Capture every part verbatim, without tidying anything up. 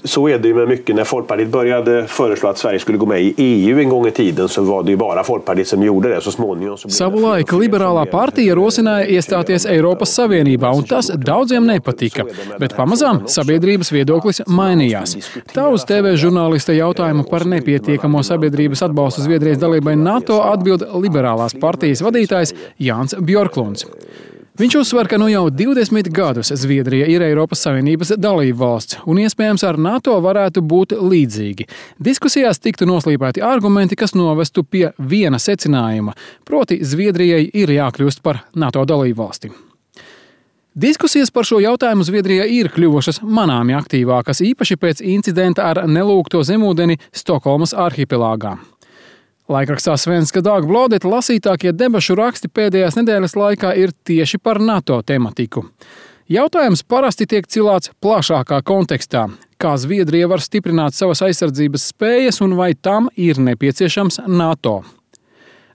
så är det ju med mycket. När Folkpartiet började föreslå att Sverige skulle gå med i E U en gång i tiden, så var det ju bara Folkpartiet som gjorde det. Så småningom så Savulaik liberālā partija rosināja iestāties Eiropas Savienībā, un tas daudziem nepatika, bet pamazām sabiedrības viedoklis mainījās. Tā uz T V žurnālista jautājumu par nepietiekamo sabiedrības atbalstu Zviedrijas dalībai NATO atbild liberālās partijas vadītājs Jānis Bjorklunds. Viņš uzsver, ka nu jau divdesmit gadus Zviedrija ir Eiropas Savienības dalībvalsts, un iespējams ar NATO varētu būt līdzīgi. Diskusijās tiktu noslīpēti argumenti, kas novestu pie viena secinājuma, proti Zviedrijai ir jākļūst par NATO dalībvalsti. Diskusijas par šo jautājumu Zviedrijā ir kļuvušas manāmi aktīvākas, īpaši pēc incidenta ar nelūgto zemūdeni Stokholmas arhipelāgā. Laikrakstā Svenska Dagbladet lasītākie debašu raksti pēdējās nedēļas laikā ir tieši par NATO tematiku. Jautājums parasti tiek cilāts plašākā kontekstā, kā Zviedrija var stiprināt savas aizsardzības spējas un vai tam ir nepieciešams NATO.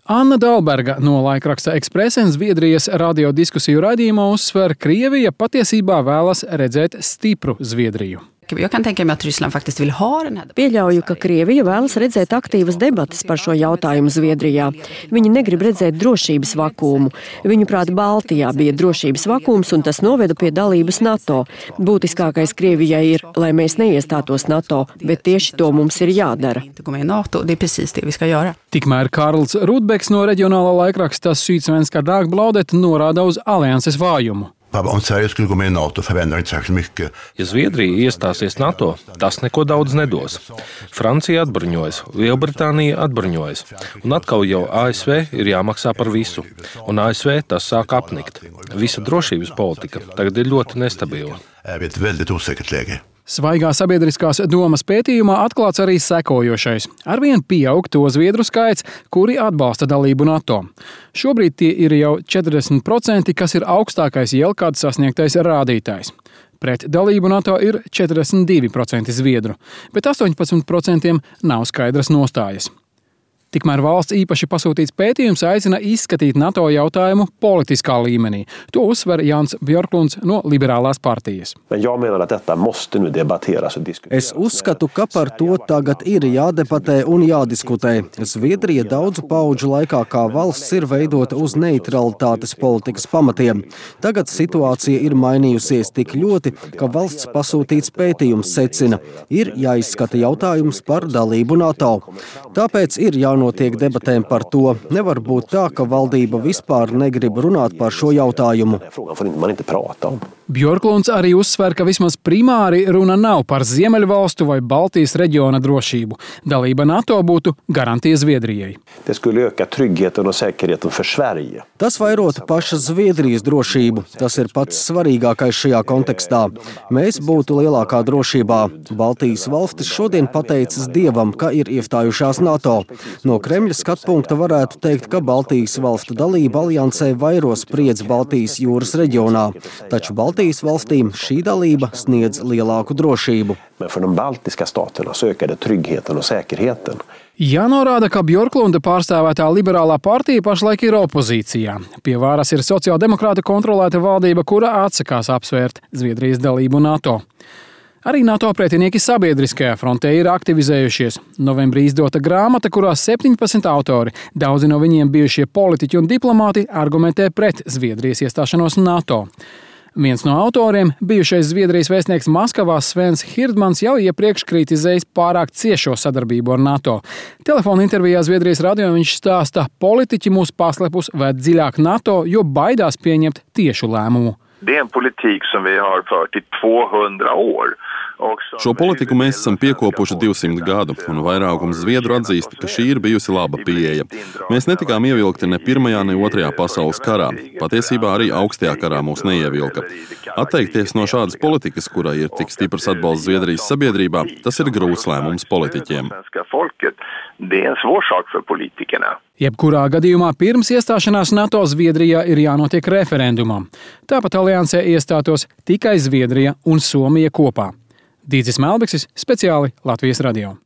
Anna Dahlberga no laikraksta Expressen Zviedrijas radiodiskusiju raidījumā uzsver, Krievija patiesībā vēlas redzēt stipru Zviedriju. Jag kan tänka mig att Ryssland faktiskt vill ha den här. Pieļauju, ka Krievija vēlas redzēt aktīvas debatas par šo jautājumu Zviedrijā. Viņi negrib redzēt drošības vakuumu. Viņuprāt, Baltijā bija drošības vakums, un tas noveda pie dalības NATO. Būtiskākais Krievijai ir, lai mēs neiestātos NATO, bet tieši to mums ir jādara. Tikmēr Karls Rudbeks no reģionālā laikraksta Sydsvenska Dagbladet norāda uz alianses vājumu. Om Sverige skulle gå med i NATO förändrar inte särskilt mycket. Ja Zviedrija iestāsies NATO, tas neko daudz nedos. Francija atbruņojas, Lielbritānija atbruņojas, un atkal jau A S V ir jāmaksā par visu, un A S V tas sāk apnikt. Visa drošības politika tagad ir ļoti nestabila. Är vi ett väldigt osäkert läge. Svaigā sabiedriskās domas pētījumā atklāts arī sekojošais. Arvien pieaug to zviedru skaits, kuri atbalsta dalību NATO. Šobrīd tie ir jau četrdesmit procenti, kas ir augstākais jebkad sasniegtais rādītājs. Pret dalību NATO ir četrdesmit divi procenti zviedru, bet astoņpadsmit procenti nav skaidras nostājas. Tikmēr valsts īpaši pasūtīts pētījums aicina izskatīt NATO jautājumu politiskā līmenī. To uzsver Jānis Bjorklunds no liberālās partijas. Es uzskatu, ka par to tagad ir jādebatē un jādiskutē. Zviedrija daudzu paudžu laikā kā valsts ir veidota uz neutralitātes politikas pamatiem. Tagad situācija ir mainījusies tik ļoti, ka valsts pasūtīts pētījums secina, ir jāizskata jautājums par dalību NATO. Tāpēc ir jānotiek Notiek debatēm par to. Nevar būt tā, ka valdība vispār negrib runāt par šo jautājumu. Bjorklunds arī uzsver, ka vismaz primāri runa nav par Ziemeļvalstu vai Baltijas reģiona drošību. Dalība NATO būtu garantija Zviedrijai. Tas vairotu pašas Zviedrijas drošību. Tas ir pats svarīgākais šajā kontekstā. Mēs būtu lielākā drošībā. Baltijas valstis šodien pateicas Dievam, ka ir iestājušās NATO. No Kremļa skatpunkta varētu teikt, ka Baltijas valstu dalība aliansē vairo spriedzi Baltijas jūras reģionā, taču Baltijas valstīm šī dalība sniedz lielāku drošību. Jānorāda, ka Bjorklunda pārstāvētā liberālā partija pašlaik ir opozīcijā. Pie varas ir sociāldemokrāta kontrolēta valdība, kura atsakās apsvērt Zviedrijas dalību NATO. Arī NATO pretinieki sabiedriskajā frontē ir aktivizējušies. Novembrī izdota grāmata, kurā septiņpadsmit autori, daudzi no viņiem bijušie politiķi un diplomāti, argumentē pret Zviedrijas iestāšanos NATO. Viens no autoriem, bijušais Zviedrijas vēstnieks Maskavā Svens Hirdmans, jau iepriekš kritizējis pārāk ciešo sadarbību ar NATO. Telefona intervijā Zviedrijas radio viņš stāsta, politiķi mūs paslepus ved dziļāk NATO, jo baidās pieņemt tiešu lēmumu. Det är en politik som vi har fört i tvåhundra år. Šo politiku mēs esam piekopuši divsimt gadu, un vairākums zviedru atzīst, ka šī ir bijusi laba pieeja. Mēs netikām ievilkti ne pirmajā, ne otrajā pasaules karā. Patiesībā arī augstajā karā mūs neievilka. Atteikties no šādas politikas, kurai ir tik stiprs atbalsts Zviedrijas sabiedrībā, tas ir grūts lēmums politiķiem. Jebkurā gadījumā pirms iestāšanās NATO Zviedrijā ir jānotiek referendumam. Tāpat aliansē iestātos tikai Zviedrija un Somija kopā. Dīdzis Melbeksis, speciāli Latvijas radio.